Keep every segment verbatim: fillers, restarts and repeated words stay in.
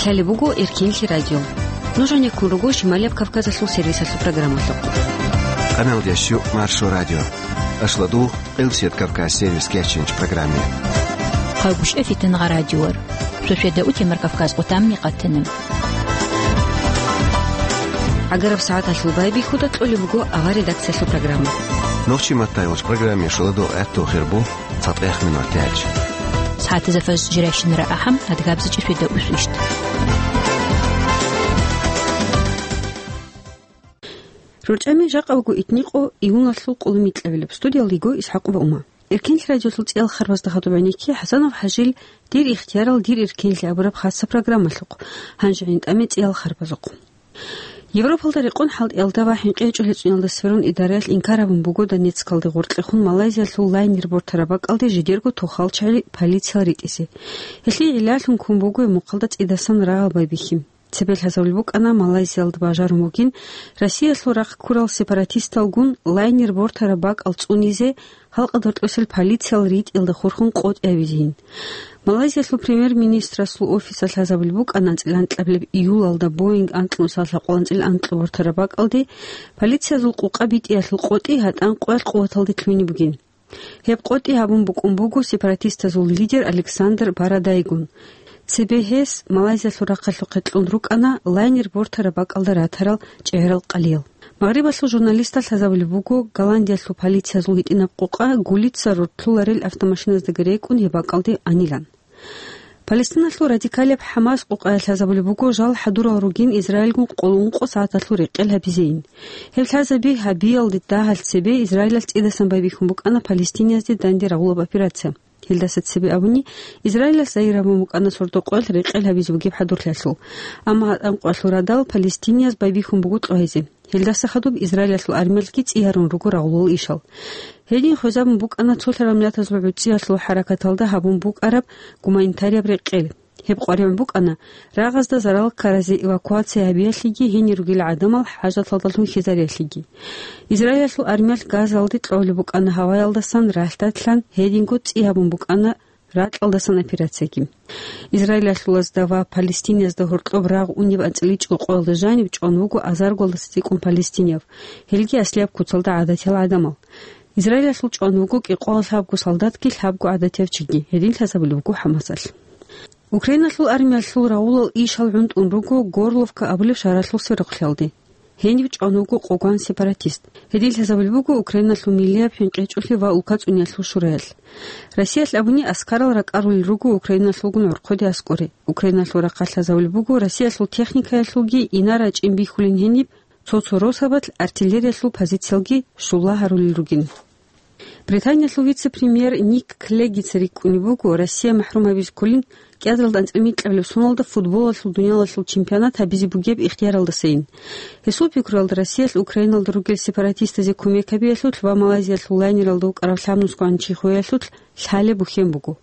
Лъалеб буго Эркенлъи радио. Нуж гьанеккун руго Шималияб Кавказалъул сервисалъул программалъухъ. Къаналдиясчу Маршо радио. Ашладу Къилсият Кавказ сервис кечинч программе. Хъагушев Фитнагъа радиор. Суседа утемар Кавказ къутамни къатана. ГӀагараб сагӀаталъул байбихьуда кьолеб буго авар редакциялъул программа. Нохчи маттайгъуч программе шуладу гӀатту хирбу цатӀех минут тяч. СагӀатазда фаз жирайщинара ахӀам, адгабзичӀи суседа усвищт. РорчӀами жакъа вуго итникъо июналъул къоло микьабилеб. Студиялда йиго ИсхӀакъова Ума. Эркенлъи радиолъул цӀиял харбазда хадуб гӀенекке ХӀасанов ХӀажил «Дир ихтиярал, дир эркенлъи» абураб хасса программалъухъ. Гьанже гӀинтӀаме цӀиял харбазухъ. Европалда рекъон хӀалтӀиялда ва хӀинкъи гьечӀолъи цӀуниялда сверун идараялъ инкар гьабун буго Донецкалде гъоркьехун Малайзиялъул лайнер бортараб бакӀалде жидерго тохал чагӀи полициял ритӀизе. Гьелъие гӀиллалъун ккун буго гьеб мухъалда цӀидасан рагъал байбихьи. Цебе лъазабулеб букӀана Малайзиялда бажарун бугин Россиялъул рахъ ккурал сепаратисталгун лайнер бортараб бакӀал цӀунизе халкъалда гьоркьосел полициял ритӀиялда хурхун къотӀи гьабизейин. Малайзиялъул премьер-министрасул офисалъ лъазабулеб букӀана анцӀила анкьабилеб июлалда Боинг анкьнусал лъабкъоялда анцӀила анкьго бортараб бакӀалде полициязул къукъа битӀиялъул къотӀи гьатӀан къоялъ къуваталде лъугьине бугин. Гьеб къотӀи гьабун букӀун буго сепаратистазул лидер Александр Барадайгун. Цебе гьес Малайзиялъул рахъалъухъе кьун рукӀана лайнер бортараб бакӀалда ратарал чӀегӀерал къалиял. Магърибалъул журналисталъ лъазабулеб буго Голландиялъул полициязул гьитӀинаб къукъа гулица рортлъуларел автомашиназдаги рекӀун гьеб бакӀалде анилан. Палестиналъул радикалияб ХӀамас къукъаялъ лъазабулеб буго жал хӀадурал ругин Израильгун къоло ункъо сагӀаталъул рекъел гьабизейин. Гьеб лъазаби гьабиялде дагьалъ цебе Израилалъ цӀидасан байбихьун букӀана палестиниязде данде рагъулаб операция. Гьелдаса цебе абуни, Израилалъ загьир гьабун букӀана сордо-къоялъ рекъел гьабизе бугеб хӀадурлъиялъул. Амма гьатӀан къоялъул радал палестинияз байбихьун буго кьогьезе. Гьелдаса хадуб Израилалъул армиялъги цӀи гьарун руго рагъулал ишал. Гьедин хвезабун букӀана цолъарал миллатазул гӀуцӀиялъул хӀаракаталда гьабун букӀараб гуманитарияб рекъел. Гьеб къваригӀун букӀана рагъазда зарал ккаразе эвакуация гьабиялъеги гьенир ругел гӀадамал хӀажаталдалъун хьезариялъеги. Израилалъул армиялъ Газалде кьолеб букӀана гьаваялдасан ралъдалъан, гьединго цӀи гьабун букӀана ракьалдасан операцияги. Израилалъулазда ва палестиниязда гьоркьоб рагъ унеб анцӀила чӀукъуялда жаниб чӀван вуго азаргоялдаса цӀикӀкӀун палестинияв, гьелги аслияб куцалда гӀадатиял гӀадамал. Израилалъул чӀван вуго кӀикъоялда лъабго солдатги лъабго гӀадатияв чиги, гьедин лъазабулеб буго ХӀамасалъ. Украиналъул армиялъул рагъулал ишал гӀунтӀун руго Горловка абулеб шагьаралъул сверухълъиялде. Гьениб чӀван вуго къоган сепаратист. Гьедин лъазабулеб буго Украиналъул миллияб хӀинкъи гьечӀолъи ва улка цӀуниялъул шураялъ. Россиялъ абуни аскарал ракӀарулел руго Украиналъулгун гӀорхъоде аскӀоре. Украиналъул рахъалъ лъазабулеб буго Россиялъул техникаялъулги инар рачӀин бихьулин гьениб цо-цо росабалъ артиллериялъул позициялги щула гьарулел ругин. Британиялъул вице-премьер Ник Клегица рикӀкӀунеб буго Россия махӀрум гьабизе кколин кӀиазаралда анцӀила микьабилеб соналда футболалъул дуниялалъул чемпионат гьабизе бугеб ихтияралдасайин. Гьесул пикруялда, Россиялъ Украиналда ругел сепаратистазе кумек гьабиялъулъ ва Малайзиялъул лайнералда вукӀарав лъабнусгоан чи хвеялъулъ лъалеб бухьен буго.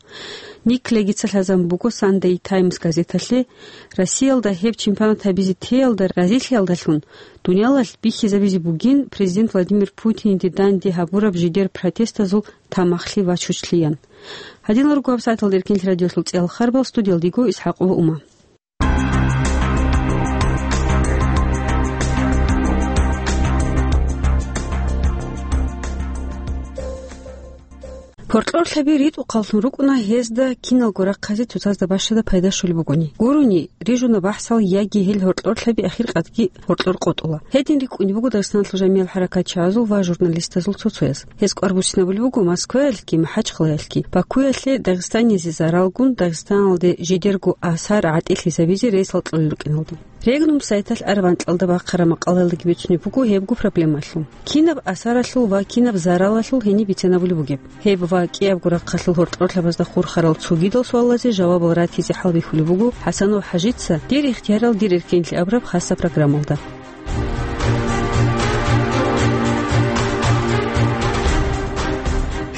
Ник Клегица лъазабун буго Sunday Times газеталъе, Россиялда гьеб чемпионат гьабизе теялда разилъиялдалъун дуниялалъ бихьизабизе бугин президент Владимир Путиниде данде гьабураб жидер протестазул тамахлъи вачучлъиян. Гьадинал руго гьабсагӀаталда Эркенлъи радиолъул цӀиял харбал, студиялда йиго ИсхӀакъова Ума. Гьоркьорлъаби ритӀухъаллъун рукӀуна гьезда киналго рахъазе цоцазда бащада пайда щолеб бугони. Гурони, рижуна бахӀсал яги гьел гьоркьорлъаби ахиркъадги гьоркьор къотӀула. Гьедин рикӀкӀунеб буго Дагъистаналъул жамигӀал хӀаракатчагӀазул ва журналистазул цо-цояз. Гьез кӀвар буссинабулеб буго Москваялъги МахӀачхъалаялъги. Бакуялъе Дагъистанизе заралгун Дагъистаналде жидерго асар гӀатӀилъизабизе рейсал кьолел рукӀиналда. Регнум сайталъ араб анкьалда бахъараб макъалаялдаги бицунеб буго гьебго проблемалъул. Кинаб асаралъул ва кинаб заралалъул гьениб бицанабулеб бугеб? Гьеб ва кӀиябго рахъалъул гьоркьорлъабазда хурхарал цогидал суалазе жавабал ратизе хӀалбихьулеб буго ХӀасанов ХӀажица «Дир ихтиярал, дир эркенлъи» абураб хасса программалда.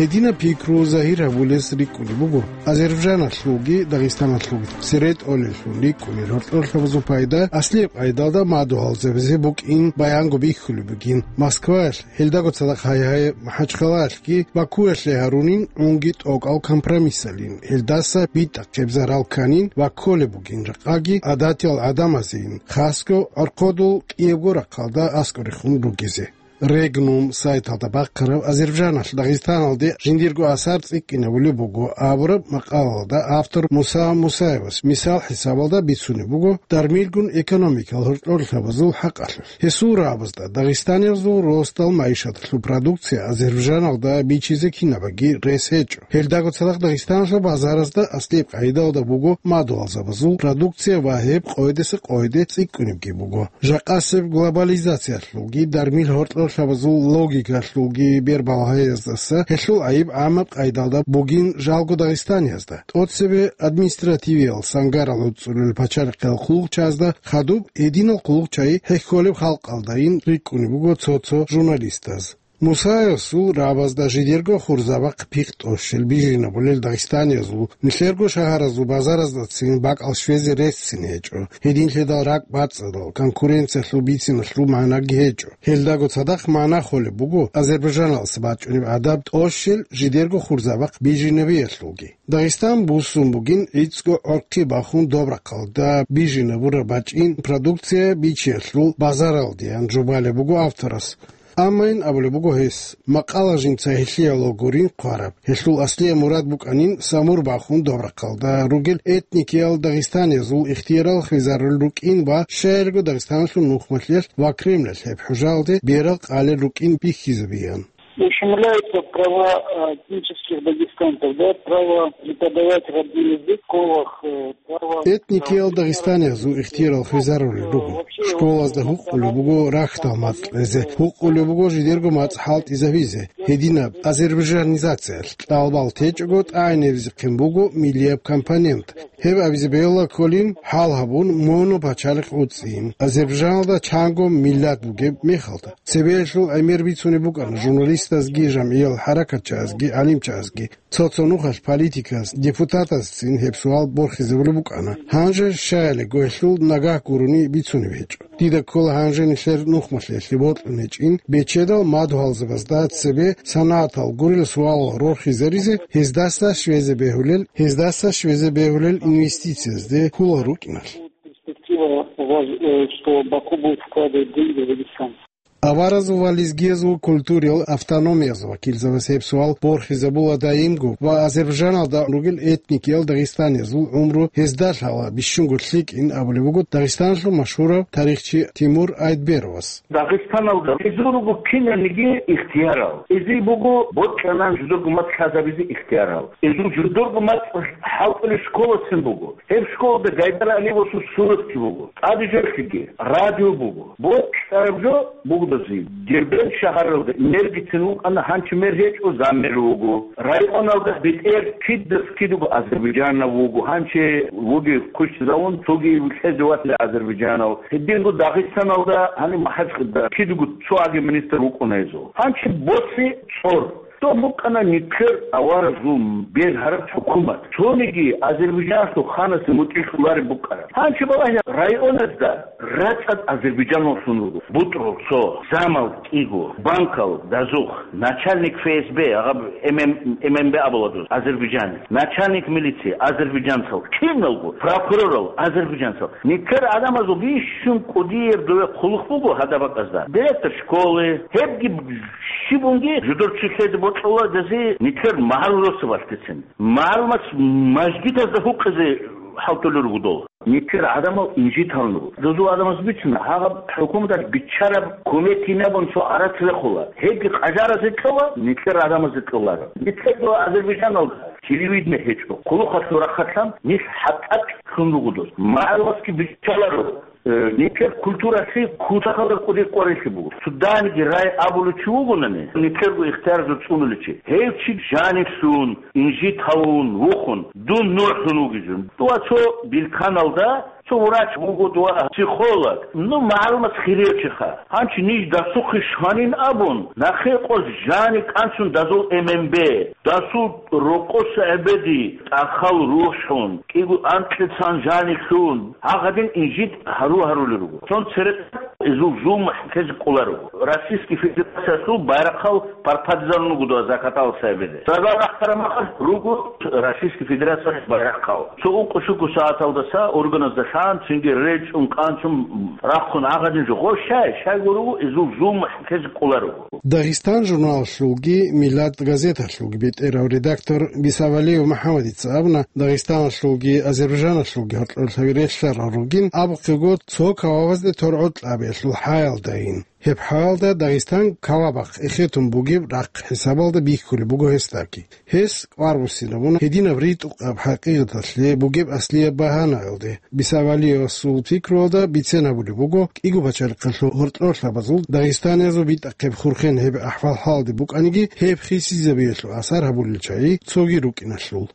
Гьединаб пикру загьир гьабулес рикӀкӀунеб буго Азербайджаналъулги Дагъистаналъулги. Цере тӀолеллъун рикӀкӀунел гьоркьорлъабазул пайда аслияб къайдалда мадугьалзабизе букӀин баянго бихьулеб бугин. Москваялъ, гьелдаго цадахъ гьайгьай МахӀачхъалаялъги Бакуялъе гьарунин гӀунги тӀокӀал компромиссалин, гьелдаса битӀахъеб зарал кканин ва кколеб бугин ракъаги гӀадатиял гӀадамазейин, хасго гӀорхъодул кӀиябго рахъалда аскӀорехун ругезе. Регнум сайталда бахъараб Азербайджаналъ Дагъистаналде жиндирго асар цӀикӀкӀинабулеб буго абураб макъалалда автор Муса Мусаевас мисал хӀисабалда бицунеб буго дармилгун экономикал гьоркьорлъабазул хӀакъалъулъ. Гьесул рагӀабазда дагъистаниязул росдал майишаталъул продукция Азербайджаналда бичизе кинабаги рес гьечӀо. Гьелдаго цадахъ Дагъистаналъул базаразда аслияб къайдалда буго мадугьалзабазул продукция ва гьеб къойдаса къойде цӀикӀкӀунебги буго. Жакъасеб глобализациялъулги дармил гьоркьорлъабазул логикалъулги бербалгьаездаса гьелъул гӀайиб гӀамаб къайдалда бугин жалго дагъистаниязда. ТӀоцебе административиял сангарал гӀуцӀулел пачалихъал хъулухъчазда хадуб гьединал хъулухъчай хӀехьолеб халкъалдайин рикӀкӀунеб буго цо-цо журналистаз. Мусаевасул рагӀабазда жидерго хурзабахъ пихъ тӀощел бижинабулел дагъистаниязул, нилъерго шагьаразул базараздацин бакӀал щвезе реццин гьечӀо, гьединлъидал ракӀбацӀцӀадал конкуренциялъул бициналъул магӀнаги гьечӀо. Гьелдаго цадахъ магӀна холеб буго Азербайджаналъ бачӀунеб гӀадаб тӀощел жидерго хурзабахъ бижинабиялъулги. Дагъистан буссун бугин гӀицӀго гӀорхъи бахун доб рахъалда бижинабураб бачӀин продукция бичиялъул базаралдеян жубалеб буго авторас. Аммайин абулеб буго гьес, макъала жинца гьелъияло гурин хъвараб. Гьелъул аслияб мурад букӀанин Самур бахун доб рахъалда ругел этникиял дагъистаниязул ихтиярал хвезарулел рукӀин ва щайилго Дагъистаналъул нухмалъиялъ ва Кремлалъ гьеб хӀужалде берал къалел рукӀин бихьизабиян. Ущемляются права, э, этнических дагестанцев, да, право преподавать родной язык в школах, э, право... Этникиял дагъистаниязул ихтиярал хвезарулел руго. Школазда гьукъулеб буго рахьдал мацӀ кьезе, гьукъулеб буго жидерго мацӀ хӀалтӀизабизе. Гьединаб азербайджанизациялъ кьалбал течӀого тӀагӀинабизехъин буго миллияб компонент. Гьеб абизе бегьула кколин хӀал гьабун моно пачалихъ уцӀцӀийин, Азербайджаналда чанго миллат бугеб мехалда. Цебеялъул гӀемер бицунеб букӀана журналистазги, жамгӀиял хӀаракатчагӀазги, гӀалимчагӀазги. Цо-цо нухалъ политиказ, депутатазцин гьеб суал борхизабулеб букӀана. Гьанже щаялиго гьелъул нагагь гурони бицунеб гьечӀо. Дида ккола гьанже нилъер нухмалъиялъе бокьун гьечӀин бечедал мадугьалзабазда цебе санагӀатал гурел суалал рорхизаризе, гьездаса щвезе бегьулел, гьездаса щвезе бегьулел инвестициязде хьулал рукӀиналъ. Перспектива важ-, э, что Баку будет вкладывать деньги в Дагестан. Аваразул ва лезгиязул культуриял автономиязул вакилзабаз гьеб суал борхизабула даимго ва Азербайджаналда ругел этникиял дагъистаниязул гӀумру гьезда лъала бищунго лъикӀин абулеб буго Дагъистаналъул машгьурав тарихчи Тимур Айдберовас. Дагъистаналда гьезул руго киналниги ихтиярал. Гьезие буго бокьанан жидерго мацӀ лъазабизе ихтиярал. Гьезул жидерго мацӀ хӀалтӀулеб школацин буго. Гьеб школада Гайдар Алиевасул суратги буго, тӀаде жо лъиги, радио буго. Бокьараб жо бугдази, Дербент шагьаралда мергицин вукӀана, гьанчи мер гьечӀо, замер вуго. Районалда бетӀер кидас кидаго азербайджанав вуго, гьанчи вуги хъущтизавун, цоги лъезе ватла азербайджанав. Гьединго Дагъистаналда, гьаниб МахӀачкъалда кидаго цо аги министр вукӀуна гьезул. Гьанчи боцӀи цӀор. Доб букӀана нилъер аваразул бергьараб хӀукумат. Цониги Азербайджаналъул ханасде мутӀигӀлъулареб букӀараб. Гьанчи балагье районазда рацӀцӀад азербайджаналлъун руго. БутӀрул цо, замал кӀиго, банкал дазухъ, начальник ФСБ, агъаб ММ, ММБ абула дуз, азербайджанец, начальник милиции азербайджанцал, киналго, прокурорал азербайджанцал. Нилъер гӀадамазул бищун кӀудияб дове хъулухъ буго гьадаб бакӀазда. Директор школы, гьебги щибунги жидер чи лъезе бокьула, гьезие нилъер магӀарул росабалъдецин. МагӀарул мас-, мажгитазда гьукъизе хӀалтӀулел руго дол. Нилъер гӀадамал инжит гьавун руго. Дозул гӀадамаз бицина, гьаб хӀукуматалъ биччараб кумек кинабун цо гӀарац рехула. Гьебги къажаразе кьола, нилъер гӀадамазе кьоларо. Нилъер дова Азербайджаналда телевидение гьечӀо. Хъулухъалъул рахъалъан нилъ хӀатӀакь лъун руго дос. МагӀарул масги биччаларо. Э, нилъер культуралъе кутакалда кӀудияб къварилъи буго. Цо даниги рай абулев чи вугонани, нилъерго ихтияр цӀунулев чи. Гьев чи жанивлъун, инжит гьавун, вухун, дун нугӀлъун вугевлъун. Дова цо билканалда Врач вуго ва психолог, ну, магӀлумат хирияв чиха. Гьанчи ниж дасухъе щванин абун, нахъе къоз жани кӀанцун дазул М М Б, дасул рокъоса гӀебеди, тӀахал рухӀун, кӀиго анкьицан жани лъун, гьагъадин инжит гьару-гьарули руго. Цон церекъ изул зул мухӀкезе кӀоларо. Российский Федерациялъул байрахъал парпадизарун руго дова закатал сайбизе. Сагал рахъараб мехалъ руго Российский Федерациялъул байрахъал. Цо ункъо-щуго сагӀаталдаса органазда лъан, цинги речӀун, кӀанцун, рахъун гӀагадин жо. Гъо щай, щайго руго, изул зул мухӀкезе кӀоларо. Дагъистан журналалъулги, Миллат газеталъулги бетӀерав редактор Бисавалиев МухӀаммадица абуна, Дагъистаналъулги Азербайжаналъулги гьоркьорлъаби релълъарал ругин, абухъего цо кавабазде торгӀу кьабиялъул хӀаялдайин. Гьеб хӀалалда Дагъистан кавабахъ эхетун бугеб рахъ хӀисабалда бихьулеб буго гьесдаги. Гьес кӀвар буссинабуна гьединаб ритӀухъаб хӀакъикъаталъе бугеб аслияб багьанаялде. Бисавалиевасул пикруялда бицен гьабулеб буго, кӀиго пачалихъалъул гьоркьорлъабазул дагъистаниязул битӀахъеб хурхен гьеб ахӀвал-хӀалде букӀаниги, гьеб хисизабиялъул асар гьабулел чагӀи цоги рукӀиналъул.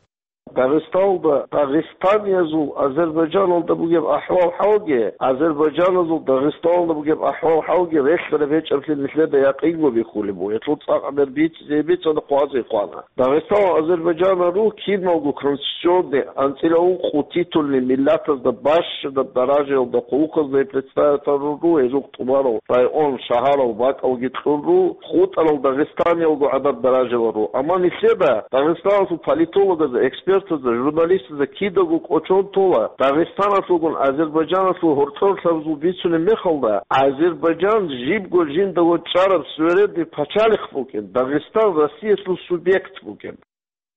Дагъистаналда дагъистаниязул Азербайджаналда бугеб ахӀвал-хӀалги, азербайджаназул Дагъистаналда бугеб ахӀвал-хӀалги релълъараб гьечӀеблъи нилъеда якъинго бихьулеб буго. Гьелъул цӀакъ гӀемер бицизе бицана, хъвазе хъвана. Дагъистан ва Азербайджан гьару киналго конституционный анцӀила ункъо титульный миллатазда бащадаб даражаялда хъулухъазда представитель руго, гьезухъ тӀубарал район, шагьарал бакӀалги кьуру, хутӀарал Дагъистаниялго гӀадаб даражалару. Амма нилъеда Дагъистаналъул политологазда, экспертазда, журналистазда кидаго кӀочон тола, Дагъистаналъулгун Азербайджаналъул гьоркьорлъабазул бицунеб мехалда, Азербайджан жибго жиндаго чӀараб суверенный пачалихъ букӀин, Дагъистан Россиялъул субъект букӀин.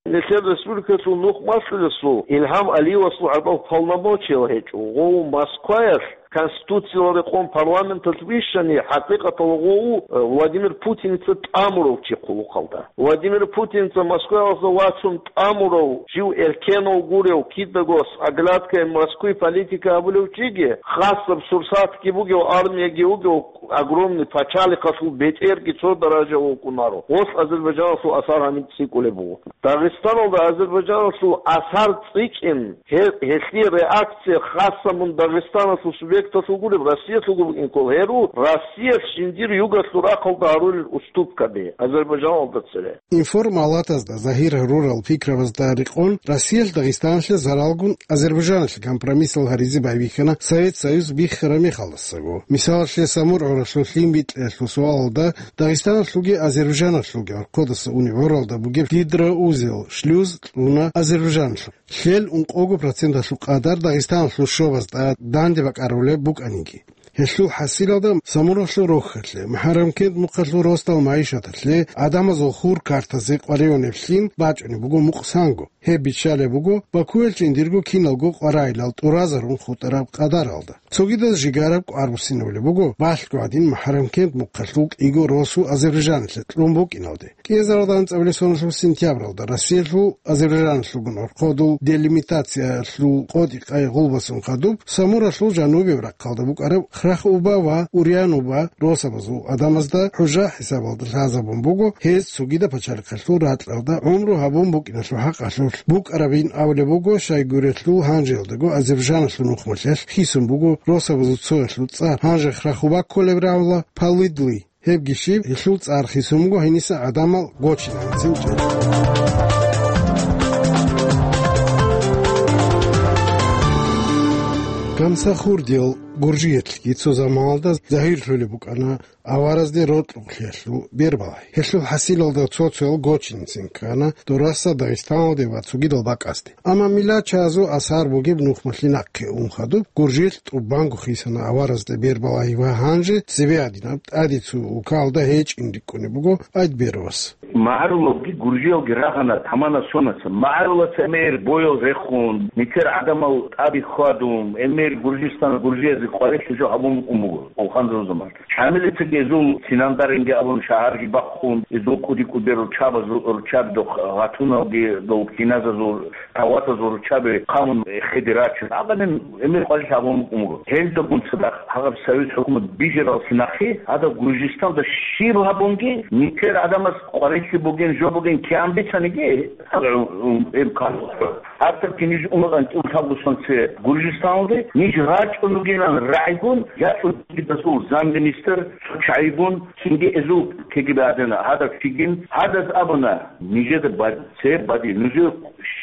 Нилъер республикалъул нух малъулесул Илгьам Алиевасул гӀадал полномочиял гьечӀо. Гъов Москваялъ Конституциялда рекъон парламенталъ вищани, хӀакъикъаталда гъов, э, Владимир Путиница тӀамурав чи хъулухъалда. Владимир Путиница Москваялдаса вачун тӀамурав, жив эркенав гурев, кидаго с оглядкой Москвы политика гьабулев чиги, хасаб сурсатги бугев, армияги вугев, огромный пачалихъалъул бетӀерги цо даража вукӀунаро. Гъос Азербайджаналъул асар гьаниб цӀикӀкӀулеб буго. Дагъистаналда Азербайджаналъул асар цӀикӀкӀин, гье-, гьелъие реакция хасабун Дагъистаналъул субъекталъул гуреб, Россиялъулго букӀин ккола. Гьеру Россиялъ жиндир югалъул рахъалда гьарулел уступкаби Азербайджаналда цере. Информалатазда загьир гьарурал пикрабазда рекъон, Россиялъ Дагъистаналъе заралгун Азербайджаналъе компромиссал гьаризе байбихьана Совет Союз биххараб мехалдасаго. Мисалалъе, Самур гӀуралъул лъим битӀиялъул суалалда Дагъистаналъулги Азербайджаналъулги гӀорхъодаса унеб гӀуралда бугеб гидроузел, шлюз, кьуна Азербайджаналъул. Лъел ункъого проценталъул къадар Дагъистаналъул щобазда данде бакӀарулеб букӀаниги. Гьелъул хӀасилалда Самуралъул рохьалъе, МухӀаррамкент мухъалъул росдал майишаталъе, гӀадамазул хур-картазе къваригӀунеб лъим бачӀунеб буго мукъсанго. Гьеб биччалеб буго Бакуялъ жиндирго киналго къваригӀелал тӀуразарун хутӀараб къадаралда. Цогидаз жигараб кӀвар буссинабулеб буго балъго гӀадин МухӀаррамкент мухъалъул кӀиго росу Азербайджаналъе кьун букӀиналде. КӀиазаралда анцӀабилеб соналъул сентябралда Россиялъул Азербайджаналъулгун гӀорхъодул делимитациялъул къотӀи-къай гъулбасун хадуб, Самуралъул жанубеб рахъалда букӀараб Храх-Уба ва Урьян-Уба росабазул гӀадамазда хӀужа хӀисабалда лъазабун буго, гьез цогидаб пачалихъалъул ракьалда гӀумру гьабун букӀиналъул хӀакъалъулъ букӀарабин абулеб буго. Щайгурелъул гьанжеялдаго Азербайджаналъул нухмалъиялъ хисун буго росабазул цоялъул цӀар. Гьанже Храх-Уба кколеб рагӀула Палыдли. Гьебги щиб, гьелъул цӀар хисун буго гьениса гӀадамал гочинанцин чӀезе. Гамсахурдиял Гуржиялъги цо заманалда загьирлъулеб букӀана аваразде рокьукълъиялъул бербалагьи. Гьелъул хӀасилалда цо-цоял гочинцин ккана, Дорасса, Дагъистаналде ва цогидал бакӀасде. Амма миллачазул асар бугеб нухмалъи нахъе ун хадуб, Гуржиялъ тӀубанго хисана аваразде бербалагьи ва гьанже цебе гьадинаб тӀаде цо укалда гьечӀин рикӀкӀунеб буго Айдберовас. МагӀарулалги гуржиялги рагъана тамана сонаса. МагӀарулаца эмер боял рехун, нилъер гӀадамал тӀаде хьвадун, эмер Гуржистан гуржиязе къварилъи жо гьабун букӀун буго Алханзазул заман. Шамилицаги эзул Синандаринги абун шагьарги бахъун, эзул кӀуди-кӀудер руччабазул, руччабидал гъатуналги дол киназазул, таватазул руччаби хъамун хеде рачун. Абанин эмир къварилъи гьабун букӀун буго. Гьелдагун цадахъ гьаб Союз хӀукумат бижараллъи нахъе, гьадаб Гуржистанда щиб гьабунги, нилъер гӀадамаз къварилъи Чи бугин, жо бугин, кигӀан бицаниги, гьеб калуха. Гьаб киниж унагӀан тӀултаб бусанце Гуржистаналде, ниж рачӀун ругилан рагӀигун, ячӀун дидазул замминистр, цо чагӀигун, цинги эзул кегибе адена, гьадаб чигин, гьадаз абуна, нижеда бад-, це бади, нужер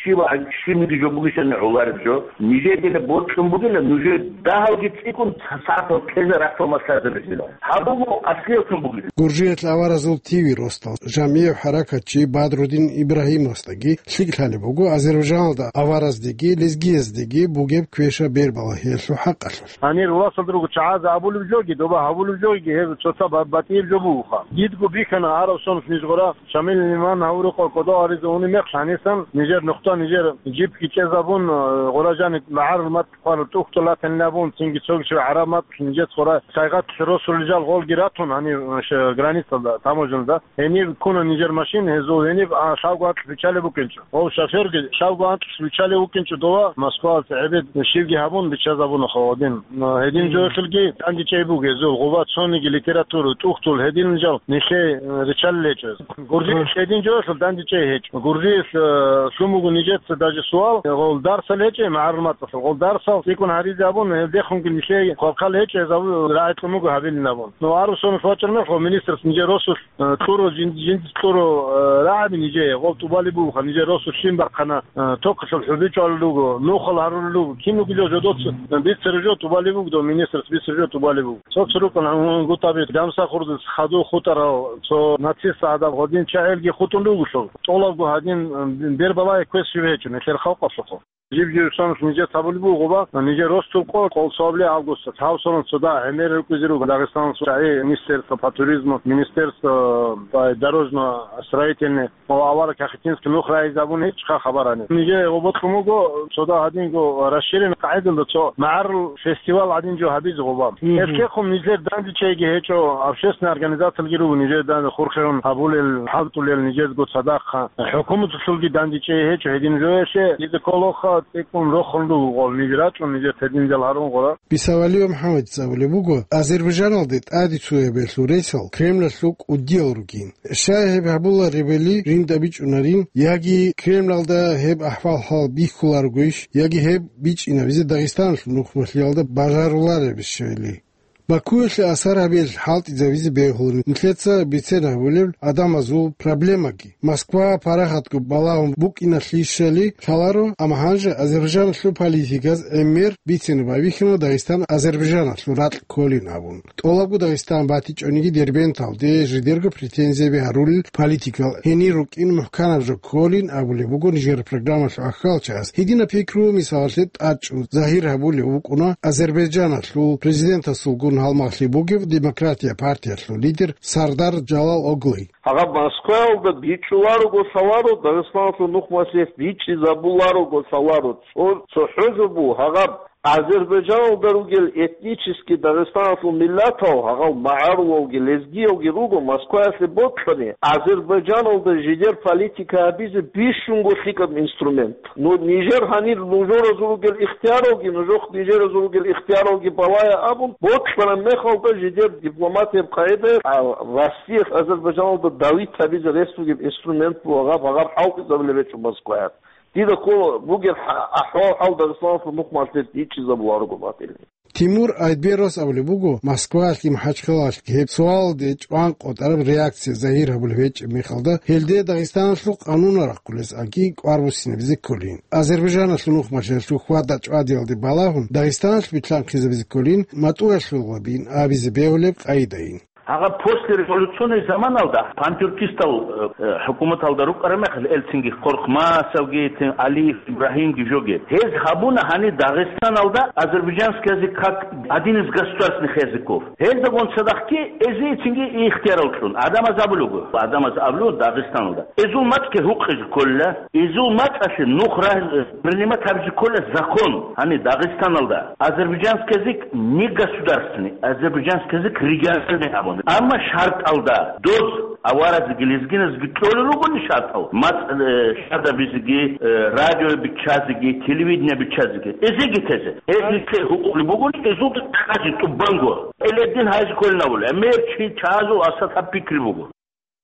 щиб-, щибниги жо бугищани гӀолареб жо, нижеда бокьун бугила, нужер дагьалги цӀикӀкӀун сагӀатал кьезе рахъал маслазабизила. Гьаб буго аслиялъун бугила. Гуржиялъ аваразул тиви росдал, жамигӀ хӀаракатчи Бадрудин Ибрагьимовасдаги лъикӀ лъалеб буго Азербайжаналда авараздеги лезгияздеги бугеб квеша бербалагьиялъул хӀакъалъулъ. Гьанир васалда руго чагӀазе абулеб жоги, доба гьабулеб жоги, гьеб цоца ба-, батӀияб жо бугоха. Дидго бихьана гьарав сонус ниж гъура, Шамил Иман гьавурухъа кодо гьаризе унеб мехалъ гьанисан, нижер нухда, нижер жипги чӀезабун, э, гъура жаниб магӀарул мацӀ хъварал тӀухьдулатанилан абун, цинги цогичав гӀараб мацӀ нижец гъура сайгъат росулел жал гъолги ратун, гьанив, э, ш-, границалда, таможенада. Гьенир ккуна нижер машин, гьезул гьениб, а, лъабго анкьлъ биччалеб букӀинчӀо. Гъов шоферги лъабго анкьлъ биччалев вукӀинчӀо дова, Москваялъ гьебед щибги гьабун биччазабуна хавадин. Э, гьедин Мгм. жоялъулги дандечӀей буго гьезул, гъова цониги литература, тӀухьдул гьедин жал нилъее, э, риччалел гьечӀо. Гуржиялъ гьедин жоялъул дандечӀей гьечӀо. Гуржиялъ, э, лъун буго нижеца даже суал, э, гъол дарсал гьечӀей магӀарул мацӀалъул. Гъол дарсал цӀикӀкӀун гьаризе абун, гьелдехунги нилъее хъвалхъал гьечӀей, гьезаб рагӀи кьун буго гьабилин абун. Ну, гьарусанас вачӀараб мехалъ, гьев министрас нижер росулъ, э, кьурав, жин-, жинца кьурав, э, рагӀаби нижее, гъол тӀубалеб бугоха, нижер росулъ щиб бахъана, э, токалъул хӀуби чӀвалел руго, нухал гьарулел руго, кин вугилев жодоца, э, бицараб жо тӀубалеб буго, дов министрас бицараб жо тӀубалеб буго. Цо-цо рукӀун гьанкӀутаби Гамсахурдаса хадув хутӀарал цо нацист гӀадаб гъодин чагӀилги хутӀун ругелъул, тӀолабго гьадин, э, бербалагьи квеш жо гьечӀо нилъер халкъалъухъ. Жиб-жиб сонус нижеца гьабулеб буго гъоба, нижер росулъ къо-, къолсавабли августалъ, гьав сонус цо дагь гӀемер рукӀизе руго Дагъистаналъул чагӀи министерство по туризму, министерство по дорожно-строительный ва аварокосвещательский нух рагӀизабун гьечӀха хабар гьаниб. Нижее гъоба кьун буго цо дагь гьадинго расширенный къагӀидалда цо магӀарул фестивал гӀадин жо гьабизе гъоба. Мгм. Гьелъехъун нижер дандечӀейги гьечӀо, общественный организациялги руго нижер данде хурхарун гьабулел, хӀалтӀулел нижезго цадахъ. ХӀукуматалъулги дандечӀей гьечӀо гьедин жоялъе, дида кколаха цӀикӀкӀун рохун руго гъол, ниж рачӀун, нижер тединзал гьарун гъура. Бисавалиев МухӀамадица абулеб буго, Азербайжаналде тӀаде цояб гьелъул ресал Кремлалъул кӀудиял ругин. Щай гьеб гьабуларебали жинда бичӀчӀунарин, яги Кремлалда гьеб ахӀвал-хӀал бихьуларогойищ, яги гьеб бичӀчӀинабизе Дагъистаналъул нухмалъиялда бажаруларебищали? Бакуялъе асар гьабиялъ хӀалтӀизабизе бегьуларо нилъеца бицен гьабулеб гӀадамазул проблемаги. Москва парахатго балагьун букӀиналъищали лъаларо, амма гьанже Азербайжаналъул политиказ гӀемер бицина байбихьана Дагъистан Азербайжаналъул ракь кколин абун. ТӀолабго Дагъистан батичӀониги Дербенталде жидерго претензияби гьарулел политикал гьенир рукӀин мухӀканаб жо кколин абулеб буго нижер программалъул ахӀвалчияс. Гьединаб пикру, мисалалъе, тӀадчӀун загьир гьабулев вукӀуна Азербайжаналъул президентасулгун гьалмагълъи бугев Демократия партиялъул лидер Сардар Жалал Оглы. Гьаб Москваялда бичӀчӀуларого лъаларо, Дагъистаналъул нухмалъиялъ бичӀчӀизабуларого лъаларо, цо-, цохӀо жо буго гьаб Азербайжаналда ругел этнический Дагъистаналъул миллатал, гьагъал магӀарулалги лезгиялги руго Москваялъе бокьани, Азербайжаналда жидер политика гьабизе бищунго лъикӀаб инструмент. Ну, нижер гьанир нужеразул ругел ихтияралги, нужехъ нижеразул ругел ихтияралги балая абун, бокьараб мехалда жидер дипломатияб къагӀидаялъ, а, Россиялъ Азербайжаналда давить гьабизе рес бугеб инструмент буго гьаб, гьаб хӀалтӀизабулеб гьечӀо Москваялъ. Дида ккола бугеб хӀа-, ахӀвал-хӀал Дагъистаналъул нухмалъиялъ бичӀчӀизабуларого батӀияб. Тимур Айдберос абулеб буго, Москваялъги МахӀачхъалаялъги гьеб суалалде чӀван къотӀараб реакция загьир гьабулеб гьечӀеб мехалда, гьелде Дагъистаналъул къанунал рахъулес аги кӀвар буссинабизе кколин. Азербайжаналъул нухмалъиялъул хьвада-чӀвадиялде балагьун, Дагъистаналъ битлъанхъизабизе кколин, матӀуялъулабин абизе бегьулеб къайдайин. Гьагъаб послереволюционный заманалда пантюркистал, э, э, хӀукуматалда рукӀараб мехалъ, Эльцинги Къорхмасовги, Тин-, Алиев Ибрагьимги жоги. Гьез гьабуна гьанир Дагъистаналда азербайджанский язык как один из государственных языков. Гьелдагун цадахъги эзицинги ихтиярал кьун. Адамаз абулуго. Адамаз абулуго Дагъистаналда. Эзул мацӀги гьукъизе ккола. Эзул мацӀалъе нух рагь-, принимать гьабизе ккола закон. Гьанир Дагъистаналда азербайджанский язык не государственный, азербайджанский язык региональный абун. Амма шартӀалда доз аваразги лезгиназги кьолел ругони шартӀал, мацӀ, э, лъадабизеги, э, радио биччазеги, телевидение биччазеги, эзеги тезе. Эзеги те гьукъулеб бугони, эзулги къази тӀубанго. Эледин гьайзе кколин абула. Мер чи чагьазул асат гьаб пикри буго.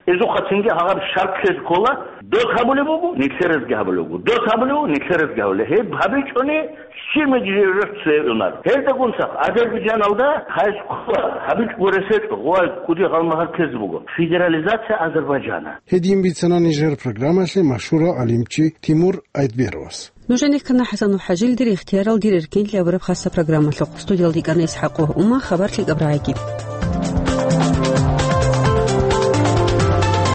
Гьезухъа цинги гьаб шартӀлъи ккола, дос гьабулеб буго, нилъерезги гьабулеб буго, дос гьабулеб буго, нилъерезги гьабулеб. Гьеб гьабичӀони щиб межилъе цеве унар. Гьелдагун сах Азербайджаналда гьай ккола, гьабичӀого рес гьечӀо, гъой кӀуди гъалмагъал ккезе буго. Федерализация Азербайджана. Гьедин бицана нижер программалъе машгьурав гӀалимчи Тимур Айтберовас. Нужеца ккана ХӀасан ХӀажил «Дир ихтиярал, дир эркенлъи» абураб хасаб программалъухъ. Студиялда йикӀана ИсхӀакъ Умар, хабар лъикӀаб рагӀиги.